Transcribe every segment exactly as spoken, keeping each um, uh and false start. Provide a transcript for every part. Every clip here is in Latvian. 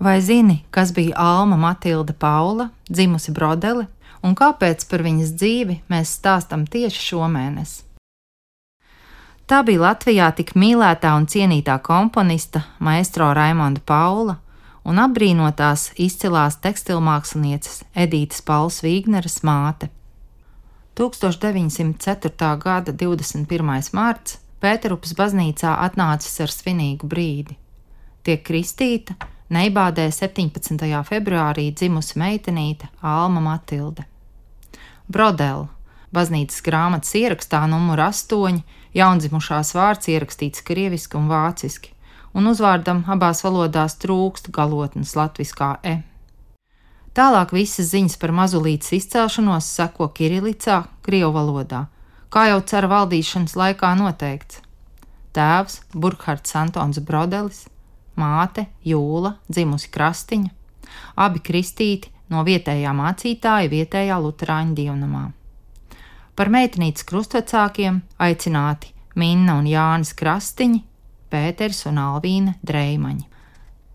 Vai zini, kas bija Alma Matilde Paula, dzimusi Brodeli, un kāpēc par viņas dzīvi mēs stāstam tieši šomēnes? Tā bija Latvijā tik mīlētā un cienītā komponista maestro Raimonda Paula un apbrīnotās izcilās tekstilmākslinieces Edītes Paulas Vīgneres māte. tūkstoš deviņsimt ceturtā gada divdesmit pirmais marts Pēterupas baznīcā atnācis ar svinīgu brīdi. Tiek kristīta Neibādē septiņpadsmitajā februārī dzimusi meitenīte Alma Matilde. Brodeli, baznīcas grāmatas ierakstā numur astoņi, jaundzimušās vārds ierakstīts krieviski un vāciski, un uzvārdam abās valodās trūkst galotnes latviskā e. Tālāk visas ziņas par mazulītes izcelšanos seko kirilicā, krievu valodā, kā jau cara valdīšanas laikā noteikts. Tēvs Burkhards Antons Brodelis, māte Jūla, dzimusi Krastiņa, abi kristīti no vietējā mācītāja vietējā luterāņu dievnamā. Par meitenītes krustvecākiem aicināti Minna un Jānis Krastiņi, Pēters un Alvīne Dreimaņi.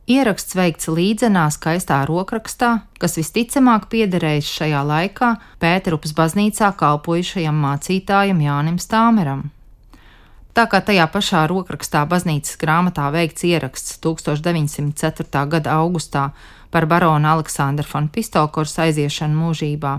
Ieraksts veikts līdzenā skaistā rokrakstā, kas visticamāk piederējis šajā laikā Pēterupas baznīcā kalpojušajam mācītājam Jānim Stāmeram. Tā kā tajā pašā rokrakstā baznīcas grāmatā veikts ieraksts tūkstoš deviņsimt ceturtā gada augustā par barona Aleksandra von Pistolkors aiziešanu mūžībā,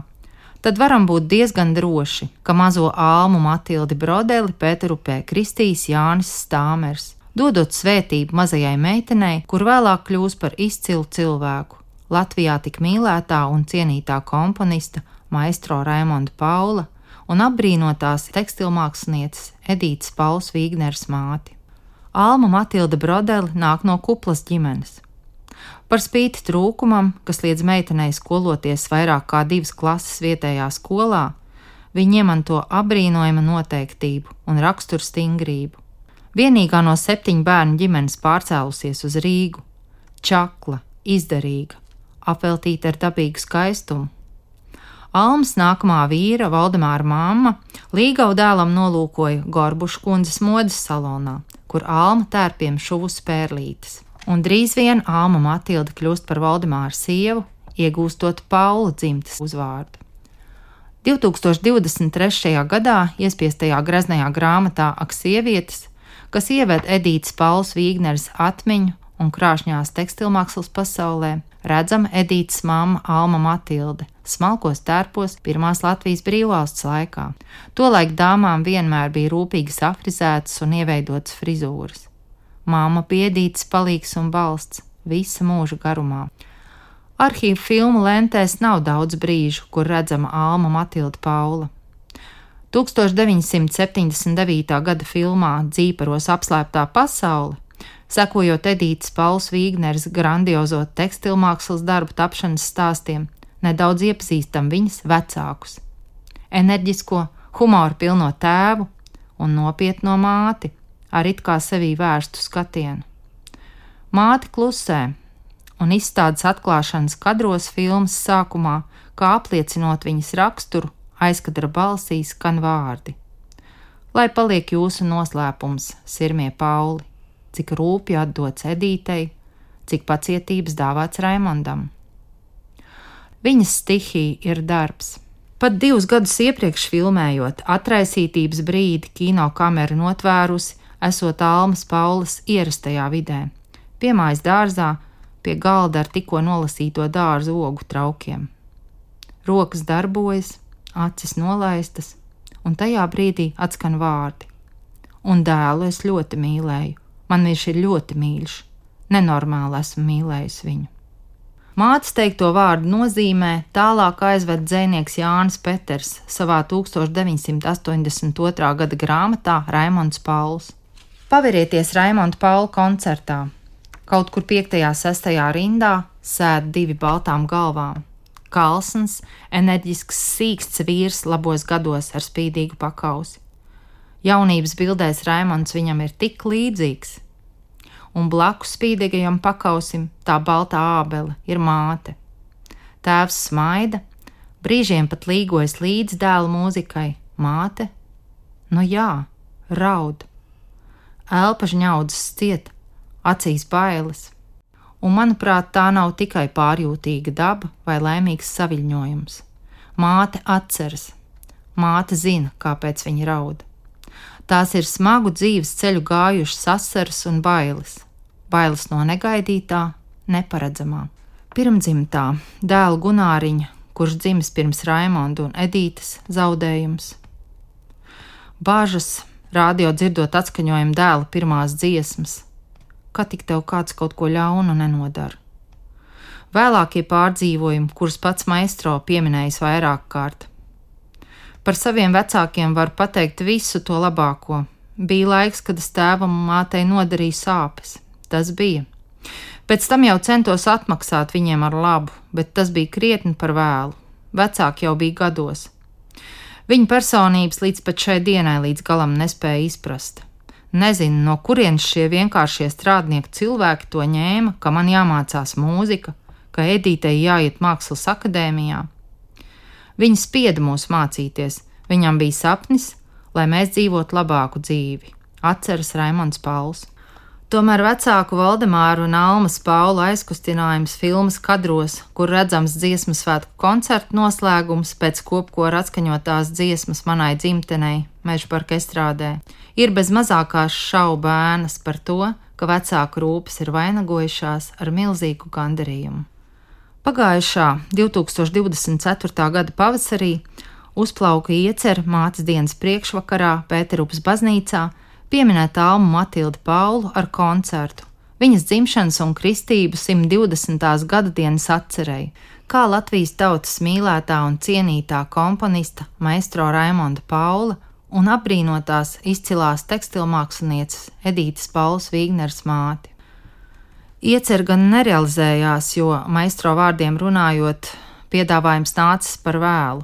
tad varam būt diezgan droši, ka mazo Almu Matildi Brodeli Pēterupē kristīs Jānis Stāmers, dodot svētību mazajai meitenei, kur vēlāk kļūs par izcilu cilvēku, Latvijā tik mīlētā un cienītā komponista maestro Raimonda Paula un apbrīnotās tekstilmākslinieces Edītes Paulas Vīgneres māti. Alma Matilde Brodeli nāk no kuplas ģimenes. Par spīti trūkumam, kas liedz meitenei skoloties vairāk kā divas klases vietējā skolā, viņa iemanto apbrīnojama noteiktību un rakstura stingrību. Vienīgā no septiņu bērnu ģimenes pārcēlusies uz Rīgu, čakla, izdarīga, apveltīta ar dabīgu skaistumu. Almas nākamā vīra, Valdemāra mamma, līgavu dēlam nolūkoja Gorbušu kundzes modes salonā, kur Alma tērpiem šuvusi pērlītes. Un drīz vien Alma Matilde kļūst par Valdemāra sievu, iegūstot Paula dzimtes uzvārdu. divtūkstoš divdesmit trešajā gadā iespiestajā greznajā grāmatā Ak sievietes, kas ieved Edītes Paulas Vīgneres atmiņu un krāšņās tekstilmākslas pasaulē, redzama Edītes mamma Alma Matilde, smalkos tērpos pirmās Latvijas brīvvalsts laikā. Tolaik dāmām vienmēr bija rūpīgas afrizētas un ieveidotas frizūras. Mamma bija Edītes palīgs un balsts visa mūža garumā. Arhīvu filmu lentēs nav daudz brīžu, kur redzama Alma Matilde Paula. tūkstoš deviņsimt septiņdesmit devītā gada filmā Dzīparos apslēptā pasaule, sekojot Edītes Paulas Vīgneres grandiozo tekstilmākslas darbu tapšanas stāstiem, nedaudz iepazīstam viņas vecākus. Enerģisko, humoru pilno tēvu un nopietno māti, ar it kā sevī vērstu skatienu. Māte klusē, un izstādes atklāšanas kadros filmas sākumā, kā apliecinot viņas raksturu, aizkadra balsī skan vārdi. Lai paliek jūsu noslēpums, sirmie Pauli, cik rūpju atdots Edītei, cik pacietības dāvāts Raimondam. Viņas stihija ir darbs. Pat divus gadus iepriekš filmējot atraisītības brīdi kino kamera notvērusi, esot Almas Paulas ierastajā vidē, pie mājas dārzā, pie galda ar tikko nolasīto dārzu ogu traukiem. Rokas darbojas, acis nolaistas, un tajā brīdī atskan vārdi. Un dēlu es ļoti mīlēju, man viņš ir ļoti mīļš, nenormāli esmu mīlējis viņu. Mātes teikto vārdu nozīmē tālāk aizved dzejnieks Jānis Peters savā tūkstoš deviņsimt astoņdesmit otrā gada grāmatā Raimonds Pauls. Paverieties Raimonda Paula koncertā. Kaut kur piektajā sestajā rindā sēd divi baltām galvām. Kalsns, enerģisks, sīksts vīrs labos gados ar spīdīgu pakausi. Jaunības bildēs Raimonds viņam ir tik līdzīgs. Un blakus spīdīgajam pakausim tā baltā ābele ir māte. Tēvs smaida, brīžiem pat līgojas līdz dēla mūzikai, māte, nu jā, raud. Elpa žņaudzes ciet, acīs bailes. Un, manuprāt, tā nav tikai pārjūtīga daba vai laimīgs saviļņojums. Māte atceras. Māte zina, kāpēc viņa raud. Tās ir smagu dzīves ceļu gājušas asaras un bailes. Bailes no negaidītā, neparedzamā. Pirmdzimtā dēla Gunāriņa, kurš dzimis pirms Raimonda un Edītes, zaudējums. Bāžas, rādio dzirdot atskaņojumu dēla pirmās dziesmas. Kā tik tev kāds kaut ko ļaunu nenodara. Vēlākie pārdzīvojumi, kurus pats maestro pieminējis vairāk kārt. Par saviem vecākiem var pateikt visu to labāko. Bija laiks, kad es tēvam un mātei nodarīju sāpes. Tas bija. Pēc tam jau centos atmaksāt viņiem ar labu, bet tas bija krietni par vēlu. Vecāki jau bija gados. Viņa personības līdz pat šai dienai līdz galam nespēja izprast. Nezinu, no kurienes šie vienkāršie strādnieku cilvēki to ņēma, ka man jāmācās mūzika, ka Edītei jāiet mākslas akadēmijā. Viņa spieda mūs mācīties, viņam bija sapnis, lai mēs dzīvotu labāku dzīvi, atceras Raimonds Pauls. Tomēr vecāku Valdemāru un Almas Paula aizkustinājums filmas kadros, kur redzams dziesmu svētku koncertu noslēgums pēc kopkora atskaņotās dziesmas manai dzimtenei, Mežaparka estrādē, ir bez mazākās šaubu ēnas par to, ka vecāku rūpes ir vainagojušās ar milzīgu gandarījumu. Pagājušā divtūkstoš divdesmit ceturtā gada pavasarī uzplauka iecer mātes dienas priekšvakarā Pēterupas baznīcā pieminēt Almu Matildi Paulu ar koncertu, viņas dzimšanas un kristību simt divdesmitās gada dienas atcerei, kā Latvijas tautas mīlētā un cienītā komponista maestro Raimonda Paula un apbrīnotās izcilās tekstilmākslinieces Edītes Paulas Vīgneres māti. Iecer gan nerealizējās, jo maestro vārdiem runājot, piedāvājums nācis par vēlu.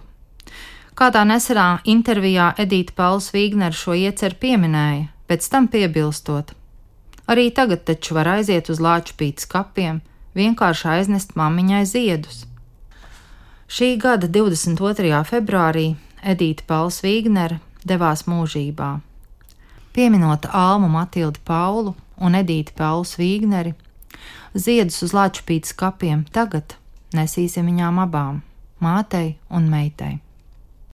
Kādā nesenā intervijā Edīte Pauls Vīgnere šo ieceru pieminēja, pēc tam piebilstot: arī tagad taču var aiziet uz Lāčupītes kapiem, vienkārši aiznest mammiņai ziedus. Šī gada divdesmit otrajā februārī Edīte Pauls Vīgnere devās mūžībā. Pieminot Almu Matildi Paulu un Edīti Pauls Vīgneri, ziedus uz Lāčupītes kapiem tagad nesīsim viņām abām, mātei un meitai.